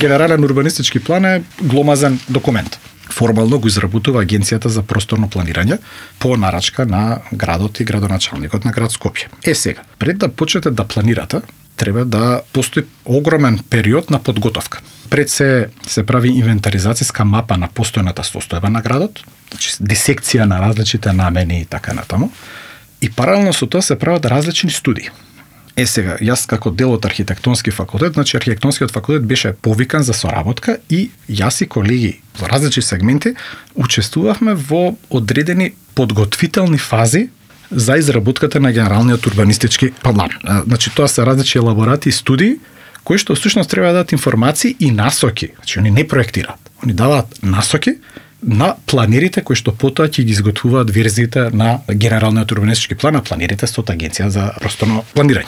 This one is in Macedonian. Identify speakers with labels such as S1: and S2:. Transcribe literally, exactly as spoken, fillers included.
S1: Генерален урбанистички план е гломазен документ. Формално го изработува Агенцијата за просторно планирање по нарачка на градот и градоначалникот на град Скопје. Е сега, пред да почнете да планирате, треба да постои огромен период на подготовка. Пред се се прави инвентаризацијска мапа на постојната состојба на градот, значи дисекција на различните намени и така натаму. И паралелно со тоа се прават различни студии. Е сега, јас како дел од архитектонски факултет, значи архитектонскиот факултет беше повикан за соработка и јас и колеги во различни сегменти учествувавме во одредени подготвителни фази за изработката на генералниот урбанистички план. Значи тоа се различни елаборати и студии кои што всушност треба да дадат информации и насоки. Значи они не проектираат, они даваат насоки на планерите кои што потоа ќе ги изготвуваат верзиите на генералниот урбанистички план, а планерите со Агенција за просторно планирање.